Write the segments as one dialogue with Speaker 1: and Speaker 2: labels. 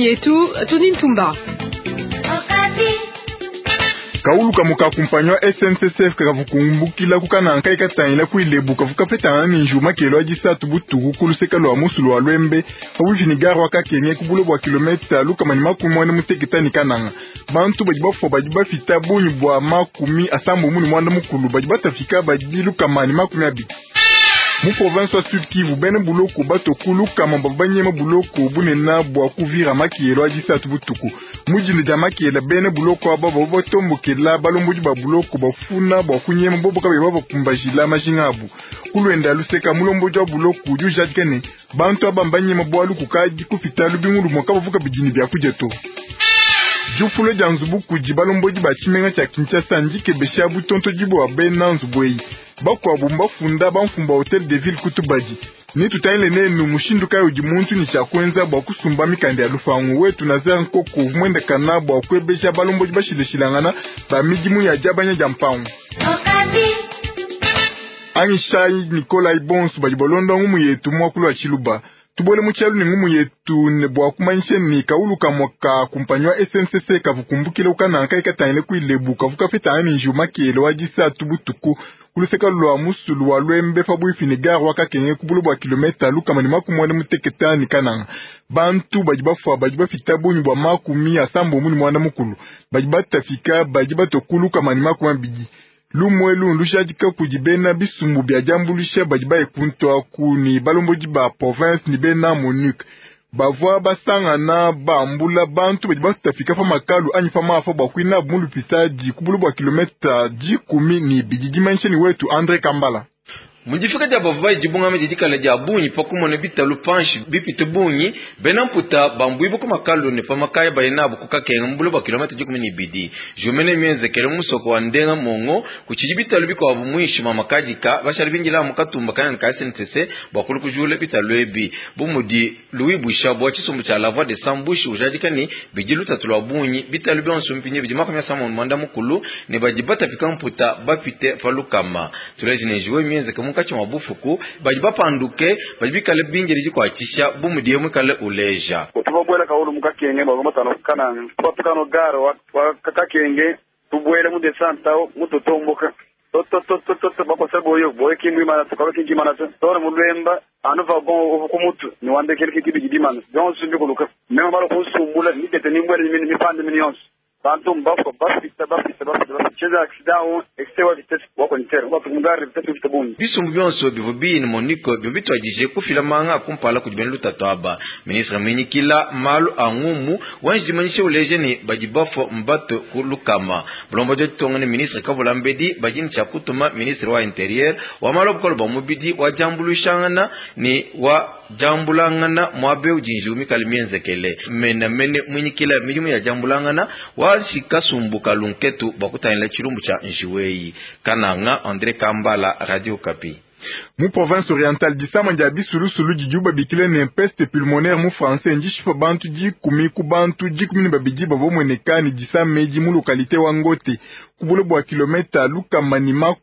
Speaker 1: yetu Tony Ntumba.
Speaker 2: Kaulu kamue ka kumpanyi wa SNCCF kavua kumbukila ku Kananga kayi katangila ku Ilebo kavua kapetangana ne njiwu makelo a disatu butuku ku luseke lua musulu wa Luembe pabuipi ne gare wa Kakenge ku bule bua kilometa 160 ne Kananga. Bantu badi bafua badi bapita bungi bua 53 badi batapika badi 120. Mu province wa Sud Kivu, bena buloko batue ku 100 bavua banyema buloko bunene bua ku Uvira makelo a disatu butuku. Mu dinda dia makela, bena buloko aba bavua batombokela balombodi ba buloko bafuna bua kunyema bobo kabayi babakumbajila majinga abu. Ku luenda luseka, mulombodi wa buloko udi ujadika ne, bantu aba mbanyema bualu kukadi kupita lubingu lumue kabavua kabidi ne biakudia to. Diupula dia nzubu kudi balombodi ba tshimenga tshia Kinshasa ndikebesha butontodi bua bena nzubu eyi. Bakuabu mbafunda bamfumu ba Hotel de Ville ku tubadi. Netutangile nenu mushindu kayi udi muntu ne tshia kuenza bua kusumba mikanda ya lupangu. Wetu Nazaire Nkoko uvua muendakana bua kuebeja balombodi bashilashilangana ba midimu ya diabanya dia mpangu. Anyishayi Nikolai bonso badi balonda ngumu yetu mu muakulu wa Tshiluba. Tubuele mu tshialu ne ngumu yetu ne bua kumanyisha ne kaulu kamue ka kumpanyi wa SNCC kavua kumbukila ku Kananga kayi katangile ku Ilebo kavua kapetangana ne njiwu makele wa disatu butuku ku luseke lua musulu wa Luembe pabuipi ne gare wa Kakenge ku bule bua kilometa 160 ne Kananga. Bantu badi bafua badi bapita bungi bua 84 badi batapika badi batua ku 120. Lumu elu ndujadika kudi bena bisumbu bia diambuluisha badi baye kuntu aku ne balombodi ba province ne bena MONUC bavua basangana bambula bantu badi batapika pa makalu anyi pa mafa bua kuinabu mu lupitadi ku bule bua kilometa 12. Dimanyisha ne wetu Andre Kambala.
Speaker 3: Mu difika dia bavua bayi dibungama didi dikale dia bungi pa kumona bitalu panshi bipite bungi, bena mputa bambuibue ku makalu ne pa makaya baye nabu ku Kakenga mu bule bua kilometa 12. Jumene mienzekele mu musoko wa Ndenga Mongo, kutshidi bitalu bikuabu muinshi mua makadika, bashale bindila amu katumba kanene ka SNCC bua kulu kujula bitalu ebi. Bu mudi Louis Bwishabwa wa tshisumbu tshia La Voix des Sans Bouche ujadika ne, bidi lutatu lua bungi, bitalu bionso mpindieu bidi 61 ne badi batapika mputa bapite pa 100. Tuleje ne njiwu eyi mienzeke munkatshi mua bufuku, badi bapanduke badi bikale bindile dikuatshisha bu mudiye muikale uleja.
Speaker 4: Tuvua kaulu mu Kakenge bua matano Kananga, tupatuka no gare wa Kakenge tubuele mu descente au mututomboka tototototo bakosa boyo boyo kimwimana tukaba kinkimana to tona mulwemba anu vagon uvu kumutu ni wandekele kikibidi dimana yonso mbikuluka mema balo kunsumbula nitete nimbwele mini mipande mini yonso bantu mbafwa bafita bafita bafita bafita cheza accident o excès wa vitesse wa kontere wa kumugari vitesse vita bungi.
Speaker 3: Bisumbu bionso bivua biyi ne MONUC bivua bituadije kufila manga a kumpala kudi bena lutatu aba. Ministre muinyikila malu a ngumu wanji dimanyisha uleja ne, badi bafua mbatue ku 100. Bulombodi wa ditunga ne ministre Kavulambedi badi ne tshia kutuma ministre wa Interieur, wa malu a bukole bua mubidi, wa diambuluishangana ne wa diambulangana muaba eu udi njiwu mikale mienzekele menemene muinyikila midimu ya diambulangana wa kasumbu ka lunketu bua kutangila tshilumbu tshia njiwu eyi. Kananga, Andre Kambala, Radio Okapi.
Speaker 2: Mu province orientale, disama dia bisulusulu didibu babikila ne peste pulmonaire mu français ndishipa bantu 10 ku bantu 12 bavua bamueneka ne disama edi mu lokalite wa Ngote ku bule bua kilometa 180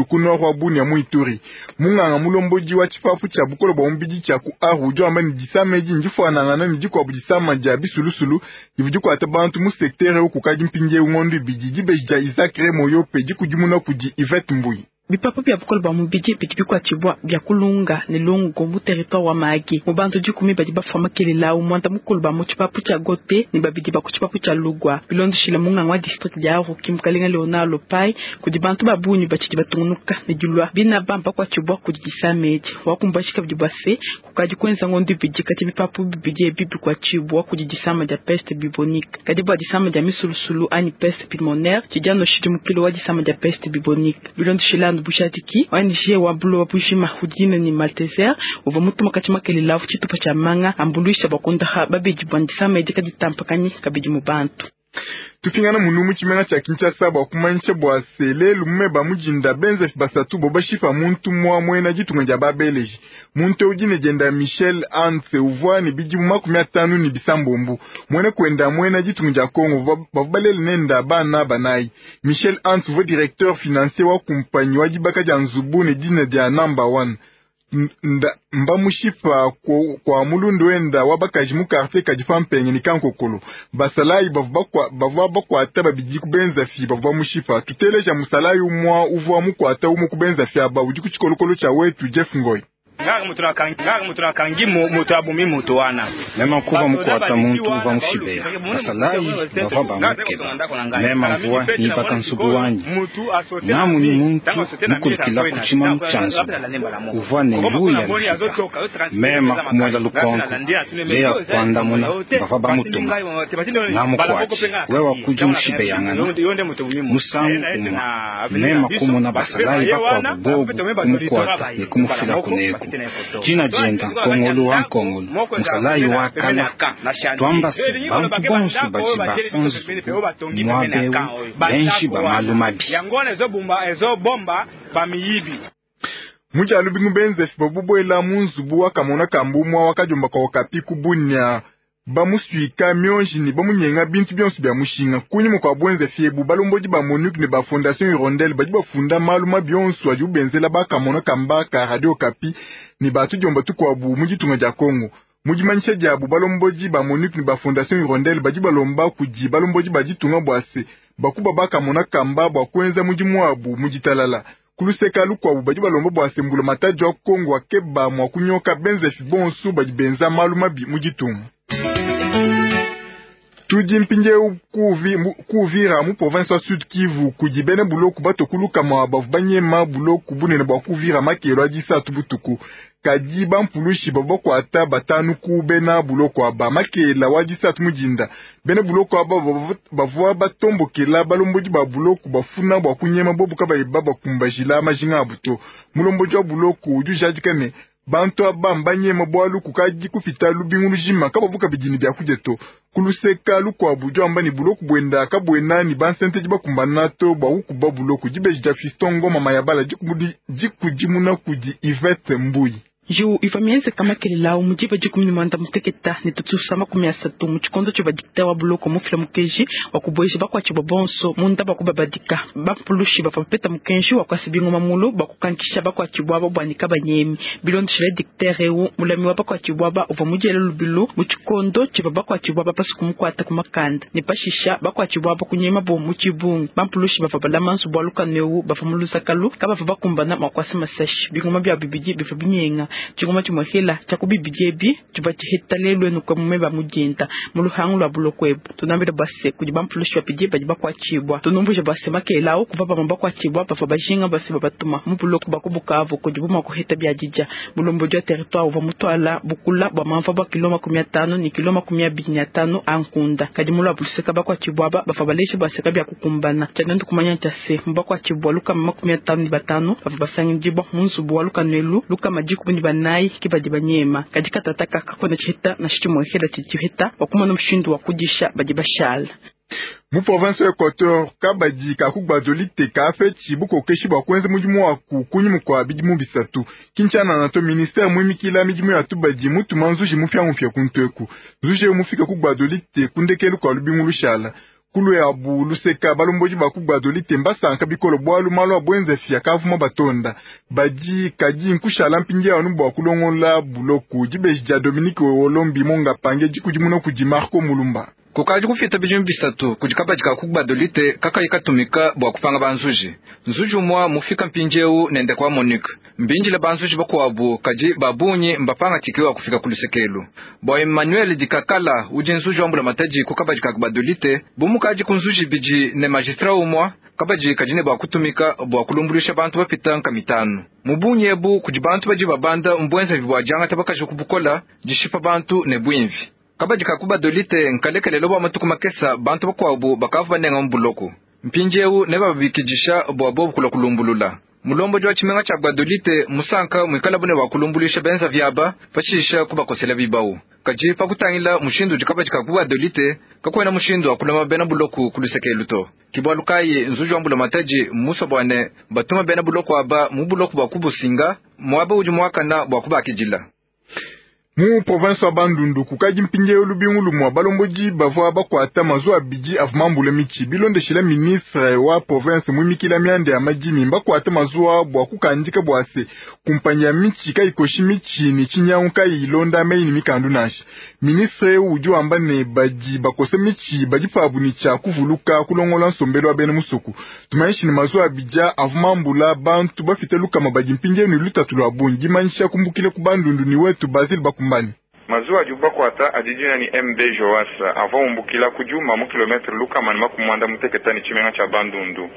Speaker 2: ku nord wa Bunia mu Ituri. Munganga mulombodi wa tshipapu tshia bukole bua mubidi tshia ku Aru udi wamba ne disama edi ndifuanangana ne dikuabu disama dia bisulusulu divua dikuata bantu mu sektere eu kukadi mpindieu ngondo 2. Dibeji dia Isaac Remoyope dikudimuna kudi Yvette Mbuyi.
Speaker 5: Bipapu bia bukole bua mubidi bidi bikuatshibua bia kulunga ne lungu mu territoire wa Mahagi. Mu bantu 10 badi bafua makelela au 90 ba mu tshipapu tshia Gote ne 2 ba ku tshipapu tshia Lugwa. Bilondeshile munganga wa district dia Aruki mukalenga Leonard Lopai, kudi bantu ba bungi batshidi batungunuka ne dilua bina bamba kuatshibua kudi disama edi. Wakumbashi kabidi bua se kukadi kuenza ngondo 2 kati bipapu bibidi ebi bikuatshibua kudi disama dia peste bubonique. Kadi bua disama dia misulusulu anyi peste pulmonaire tshidi anu tshidimukilo wa disama dia peste bubonique. Bilondeshile bujadiki ONG wa buloba bujima udi ne Malteser uvua mutuma kati makelela avu tshitupa tshia manga ambuluisha bua kondaha babedi bua disama edi kaditampakanyi kabidi mu bantu.
Speaker 2: Tupingana munu mu tshimenga tshia Kinshasa bua kumanyisha bua se lelu mumeba mujinda benzefi basatu bo bashipa muntu mua muena ditunga dia babeleji. Muntu eu dine dienda Michel Anse uvua ne bidimu 57. Muena kuenda muena ditunga dia Congo bavua balele nenda bana banayi. Michel Anse uvua directeur financier wa kumpanyi wa dibaka dia nzubu ne dina dia number 1. Mbamushipa kwa mulundu wenda wa bakaji mu quartier kadi pampenge ni kankokolo. Basalayi bavua bakwata babidi kubenza fi bavua bamushipa. Tuteleja musalayi umwa uvua mukwata umu kubenza fi aba udi ku tshikolokolo tshia wetu Jeff Ngoi.
Speaker 1: Mema kuva mukwata muntu uva mushibeya basalayi bava bamukeba mema mvua nibaka nzubu wanyi namuni muntu mukulikila kuchima muchanzu uvua ne luya lufika mema kumwela lukonko leya kuandamuna bava bamutuma namukwati wewa kuji mushibeyangana musangu umwa mema kumona basalayi bakwabo bobu kumukwata ne kumufila kuneku jina jenda nkongolo wa nkongolo musalayi wa kala twambase bantu bonso badi basa nzubu mwabewu benji bamalu mabi.
Speaker 2: Mujalu bingu benzefi babubwela mu nzubu wakamona kambumwa wakajomba kwa Okapi kubunya bamuswika mionji ni bamunyenga bintu byonso bya mushinga kunyuma kwa bwenzefi ebu balombodi ba MONUC ne ba Fondation Hirondelle badi bafunda malu mabi onso adi ubenzela bakamona kamba ka Radio Okapi ne batujomba tukwabu mu ditunga dia Kongo. Mu dimanyisha diabu balombodi ba MONUC ne ba Fondation Hirondelle badi balomba kudi balombodi ba ditunga bua se bakuba bakamona kamba bua kuenza mudimu wabu mu ditalala. Kuluseka lukwabu badi balomba bua se mbula matadi wa Kongo akeba mua kunyoka benzefi bonso badi benza malu mabi mu ditunga. Tudi mpindieu kuvira mu province wa Sud Kivu kudi bena buloku batokuluka mwa bavu banyema buloku bunene bua kuvira makelo adi satu butuku kadi bampulushi bavua bakuata batanu ku bena buloko aba makela wa disatu mudinda bena buloko aba bavua batombokela balombodi ba buloku bafuna bua kunyema bobu kabayi babakumbajila majinga abu to. Mulombodi wa buloku udi ujadika ne bantu aba mbanyema bwalu kukadi kupita lubingu lujima kababu kabidi ne byakudia to. Kuluseka lukwabu udi wamba ne buloku bwenda kabwena ne bansentedi bakumbana to bua kukuba buloku. Dibeji dia Fiston Ngoma Mayabala dikudimuna kudi Yvette Mbuyi.
Speaker 5: Ju iva mienzeka makelela mudiba 18 ne tutusa 30 mu tshikondo tshivua dikta wa buloko mufila mukenji wa kubueja bakuatshibua bonso munda bua kubabadika. Bampulushi bavua bapeta mukenji wa kuasa bingoma mulu bua kukankisha bakuatshibua aba bua nika banyemi. Bilondeshile diktere eu mulami wa bakuatshibua aba uvua mudiele lubilu mu tshikondo tshivua bakuatshibua aba pasu kumukuata ku makanda ne pashisha bakuatshibua aba kunyema bo mu tshibungi. Bampulushi bavua balama nzubu wa lukanu eu bavua mu lusakalu kabavua bakumbana mua kuasa masashi. Bingoma bia bibidi bivua binyenga tshingoma tshimwehela tshia kubibidi ebi tshivua tshiheta lelu enu kwa mume ba mudinda mu luhangu lwa buloko ebu. Tunambila base kudi bampulushi bapidi badi bakuatshibua. Tunumvuja base makela awu kuva bamwe bakuatshibua bavua bajinga base babatuma mu buloko bwa ku Bukavu kudi bumwa kuheta bya didya. Mulombodi wa territoire uvua mutwala bukula bua mamva bua kilo 50 ne kilo 25 a nkunda. Kadi mu lwa buluseka bakuatshibua aba bavua baleja baseka bya kukumbana. Tshianandu kumanya tshia se mu bakuatshibua lukama 55 bavua basangidibua mu nzubu wa lukanuelu lukama 14 ke badi banyema. Kadi katataka kakona tshiheta na tshimwehela tshiheta wakumona mushindu wa kudisha badi bashala.
Speaker 2: Mu province ya Equateur kabadi kakubadolite kafetshi bukokeshi bua kuenza mudimu wa kunyima kua bidimu bisatu. Kinshasa na to ministère muimikila midimu ya tubadi mutuma nzuji mupya kunteku. Nzuji mufika kubadolite kundekelu kwa lubingu lushala. Kulu ya bu luseka balombodi bakubadolite mbasanka bikolo bwalu malu abwenze fia kavuma batonda. Badi kadi nkushala mpindia anu bua kulongola buloku. Dibeji dia Dominique Olombi monga pange dikudimuna kudi Marco Mulumba.
Speaker 6: Kukaji kufita bidimu bisatu kudi kabadi kakubadolite kakayi katumika bua kupanga banzuji. Nzuji umwa mufika mpindieu nende kwa Monique. Mbinjile banzuji bakuabu kadi babunyi mbapanga tikiwa kufika kulusekelu. Bua Emmanuel Dikakala udi nzuji wambula mataji ku kabadi kakubadolite bumukaji kunzuji bidi ne magistrat umwa kabadi kadine bua kutumika bua kulumbulisha bantu bapita nka mitano. Mubunyi ebu kudi bantu badi babanda mbwenza bibwa janga tabakaji kubukola dishipa bantu ne bwimvi. Kabadi kakubadolite nkalekelelo bwa matuku makesa bantu bakwabu bakavu banenga mbuloko. Mpindieu ne babikidisha bua bobu kula kulumbulula. Mulombo wa tshimenga tshia Gbadolite musanka muikala bune wa kulumbulisha benza vyaba pashisha kubakosela bibau. Kadi pakutangila mushindu udi kabadi kakubadolite kakwena mushindu wa kulama bena buloku kulusekelu to. Kibwalu kayi nzuji wa mbula mataji musa bwane batuma bena buloko aba mu buloku bua kubusinga mwaba udi mwakana bua kubakidila.
Speaker 2: Mu province wa Bandundu kukadi mpindieu lubingu lumue balombodi bavua bakuata mazuwa abidi avua mambule mitshi. Bilondeshile ministre wa province muimikila mianda ya madimi, mbakuate mazuwa bua kukandika bua se kumpanyi ya mitshi kayikoshi mitshi ne tshinyangu kayi ilonda meyi ne mikandu nansha. Ministre eu udi wamba ne badi bakosa mitshi badi pabu ne tshia kuvuluka kulongola nsombelu wa bena musoko. Tumanyishi ne mazuwa abidi avua mambula bantu bapite lukama badi mpindieu ne lutatu lua bungi. Dimanyisha kumbukila ku Bandundu ne wetu Basile Bakumbani.
Speaker 7: Mazuwa adibu bakuata adi dina ne MB Joas avua umbukila ku Djuma mu kilometre 160 ne tshimenga tshia Bandundu.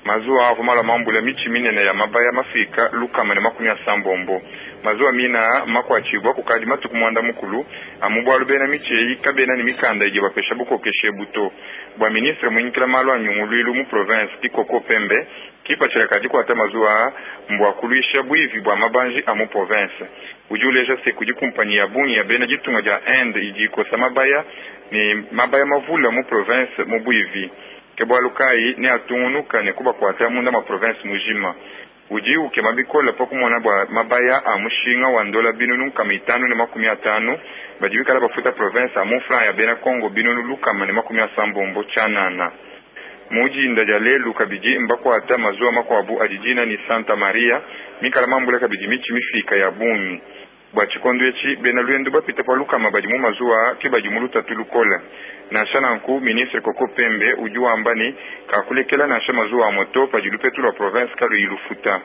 Speaker 7: Mazuwa avua malua mambule mitshi minene ya mabaya mafika 160. Mazuwa mine aa mmakuatshibua kukadi matuku muanda mukulu amu bualu bena mitshi eyi kabena ne mikanda idi ibapesha bukokeshi ebu to. Bua ministre muinyikila malu a nyunguluilu mu province Kikoko Pembe, kipatshila ka dikuata mazuwa aa mbua kuluisha buivi bua mabanji a mu province. Udi uleja se kudi kumpanyi ya bungi ya bena ditunga dia Inde idi ikosa mabaya ne mabaya mavule mu province mu buivi. Ke bualu kayi neatungunuka ne kubakuata munda mua province mujima. Udi ukema bikole pa kumona bua mabaya a mushinga wa ndola 550,000 badi bikala bafuta province a mu francs ya bena Congo 180,000 tshianana. Mu dinda dia lelu kabidi mbakuata mazuwa makuabu adi dina ne Santa Maria mikala mambule kabidi mitshi mifika ya bungi. Bua tshikondo etshi, bena luendu bapite pa lukama badi mu mazuwa aa ke badi mu lutatu lukole. Nansha nanku, ministre Koko Pembe udi wamba ne, kakulekela nansha mazuwa amue to padi lupetu lua province kaluyi lufuta.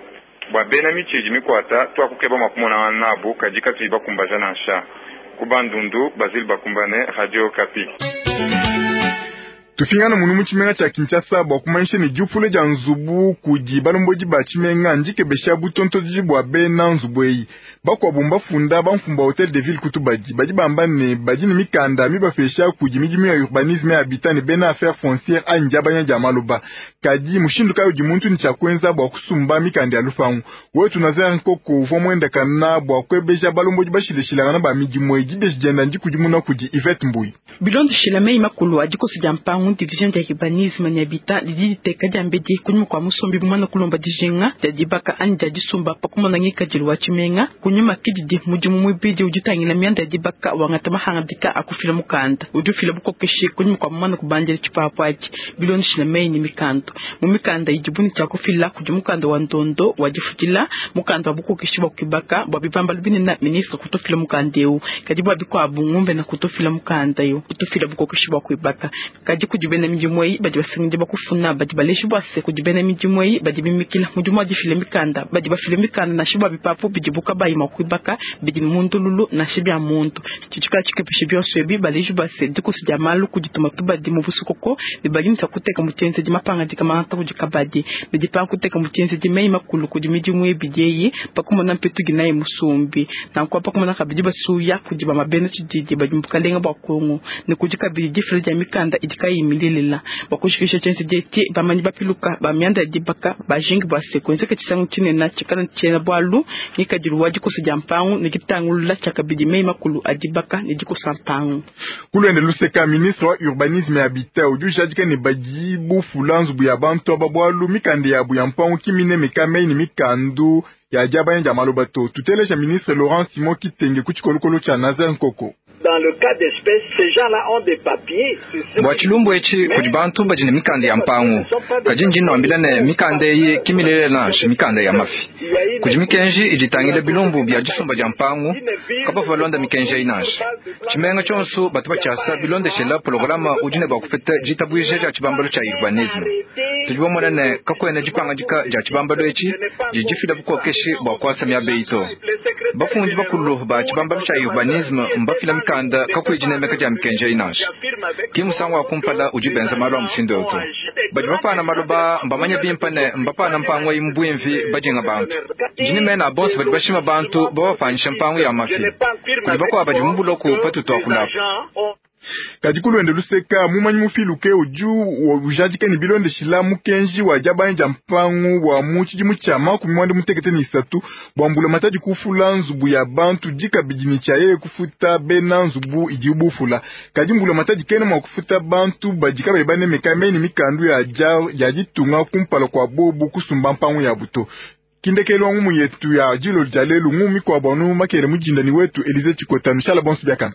Speaker 7: Bua bena mitshi idi mikuata, tuakukeba mua kumonangana nabu kadi katuyi bakumbaja nansha. Ku Bandundu, Basile Bakumbane, Radio Okapi.
Speaker 2: Tupingana munu mu tshimenga tshia Kinshasa bua kumanyisha ne diupula dia nzubu kudi balombodi ba tshimenga ndikebesha butontolodi bua bena nzubu eyi. Bakuabu mbafunda bamfumu ba Hotel de Ville ku tubadi. Badi bamba ne badi ne mikanda mibapesha kudi midimu ya urbanisme ya habitat ne bena affaires foncières anyi diabanya dia maloba. Kadi mushindu kayi udi muntu ne tshia kuenza bua kusumba mikanda ya lupangu? Wetu Nazaire Nkoko uvua muendakana bua kuebeja balombodi bashilashilangana ba midimu eyi. Dibeji dienda ndikudimuna kudi Yvette Mbuyi.
Speaker 5: Bilondeshile meyi makulu a dikoso dia mpangu, division dia urbanisme ne habitat didi diteka diambedi kunyima kua musombi mumane kulomba dijinga dia dibaka anyi dia disumba pa kumona ngikadilu wa tshimenga. Kunyima ke didi mudimu muibidi udi utangila mianda ya dibaka wangata mahangadika a kufila mukanda udi ufila bukokeshi kunyima kua mumane kubandila tshipapu atshi bilondeshile meyi ne mikandu. Mu mikanda idibu ne tshia kufila kudi mukanda wa ndondo wa difutshila, mukanda wa bukokeshi bua kuibaka bua bibambalu binene, ministre kutufila mukanda eu, kadi bua bikuabu ngombe kutufila mukanda eu kutufila bukokeshi bua kuibaka. Kadi kudi bena midimu eyi badi basangidi bakufuna badi baleji bua se kudi bena midimu eyi badi bimikila mudimu wa difila mikanda badi bafila mikanda nansha bua bipapu bidibu kabayi mua kuibaka bidi mu ndululu nansha bia muntu. Tshidi tshikepesha bionso ebi baleji bua se dikoso dia malu kudituma tubadi mu busokoko ne badi ne kuteka mu tshienzedi mapangadika mangata kudi kabadi ne dipanga kuteka mu tshienzedi meyi makulu kudi midimu ebidi eyi pakumona mpetu ginayi musumbi nanku pakumona kabidi basuya kudi bamabena tshididi badi mu bukalenga bua Kongo ne kudi kabidi difila dia mikanda idi kayiyi milelela bua kushikisha tshienzedi etshi bamanyi bapiluka ba mianda ya dibaka bajingi bua se kuenzeka tshisangu tshinene tshikala tshiena bualu ngikadilu wa dikosa dia mpangu ne ditangulula tshia kabidi meyi makulu a dibaka ne dikosa mpangu.
Speaker 2: Kulwende luseka ministre wa urbanisme ya habitat udi ujadika ne badi bufula nzubu ya bantu aba bualu mikanda yabu ya mpangu ki minemeka meyi ne mikandu ya diabanya dia maloba to. Tuteleja ministre Laurent Simon Kitenge ku tshikolokolo tshia Nazaire Nkoko.
Speaker 8: Dans le cas d'espèce, ces gens-là ont des papiers.
Speaker 6: Bua tshilumbu etshi kudi bantu badi ne mikanda ya mpangu, kadi ndi nnuambila ne mikanda eyi ki milelela nansha mikanda ya mafi. Kudi mikenji idi itangila bilumbu bia disumba dia mpangu, kabavua balonda mikenji eyi nansha. Tshimenga tshionso batu batshiasa bilondeshela programa udi ne bua kupeta ditabuija dia tshibambalu tshia urbanisme. Tudi bamona ne kakuena dipangadika dia tshibambalu etshi didi difila bukokeshi bua kuasa miaba eyi to. Bafundi bakulu ba tshibambalu tshia urbanisme mbafila mikanda kakuyi dinemeka dia mikenji eyi nansha. Ki musangu wa kumpala udi benza malu a mushindu eu to. Badi bapana maloba mbamanye bimpe ne mbapana mpangu eyi mu buimvi badinga bantu. Ndi ne mena a bonso badi bashima bantu babapanyisha mpangu ya mafi. Kudi bakuabu badi mu buloko patutu akulapu.
Speaker 2: Kadi kulwende luseka mumanyi mufiluke udi ujadika ne bilondeshila mukenji wa diabanya dia mpangu wa mu tshidimu tshia 2013 bua mbulamatadi kufula nzubu ya bantu dikabidi ne tshia yeye kufuta bena nzubu idi bufula. Kadi mbulamatadi kena mua kufuta bantu badi kabayi banemeka meyi ne mikandu ya ditunga kumpala kua bobu kusumba mpangu yabu to. Kindekelu wa ngumu yetu ya dilolo dia lelu, ngumu mikuabu anu makele mujinda ni wetu Elize Chikota. Nushala bonso biakana.